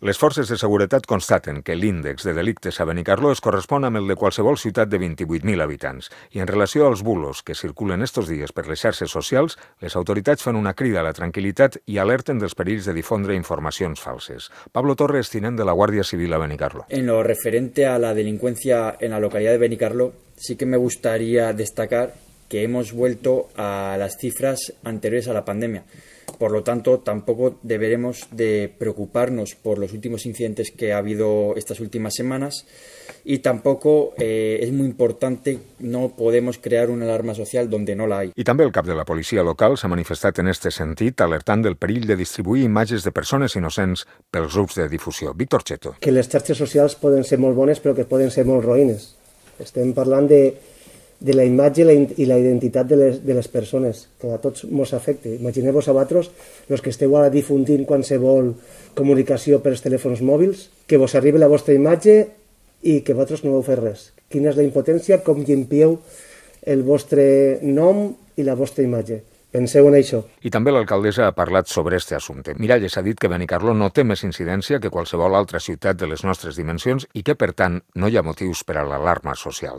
Les forces de seguretat constaten que l'índex de delictes a Benicarló es correspon amb el de qualsevol ciutat de 28.000 habitants. I en relació als bulos que circulen estos dies per les xarxes socials, les autoritats fan una crida a la tranquil·litat i alerten dels perills de difondre informacions falses. Pablo Torres, tinent de la Guàrdia Civil a Benicarló. En lo referente a la delincuencia en la localidad de Benicarló, sí que me gustaría destacar que hemos vuelto a las cifras anteriores a la pandemia. Por lo tanto, tampoco deberemos de preocuparnos por los últimos incidentes que ha habido estas últimas semanas y tampoco es muy importante, no podemos crear una alarma social donde no la hay. I també el cap de la policia local s'ha manifestat en este sentit, alertant del perill de distribuir imatges de persones innocents pels grups de difusió. Víctor Cheto. Que les xarxes socials poden ser molt bones però que poden ser molt roïnes. Estem parlant de la imatge i la identitat de les persones, que a tots ens afecta. Imagineu-vos a vosaltres, els que esteu ara difundint qualsevol comunicació pels telèfons mòbils, que vos arribi la vostra imatge i que vosaltres no heu fet res. Quina és la impotència, com llimpieu el vostre nom i la vostra imatge. Penseu en això. I també l'alcaldessa ha parlat sobre este assumpte. Miralles ha dit que Benicarló no té més incidència que qualsevol altra ciutat de les nostres dimensions i que, per tant, no hi ha motius per a l'alarma social.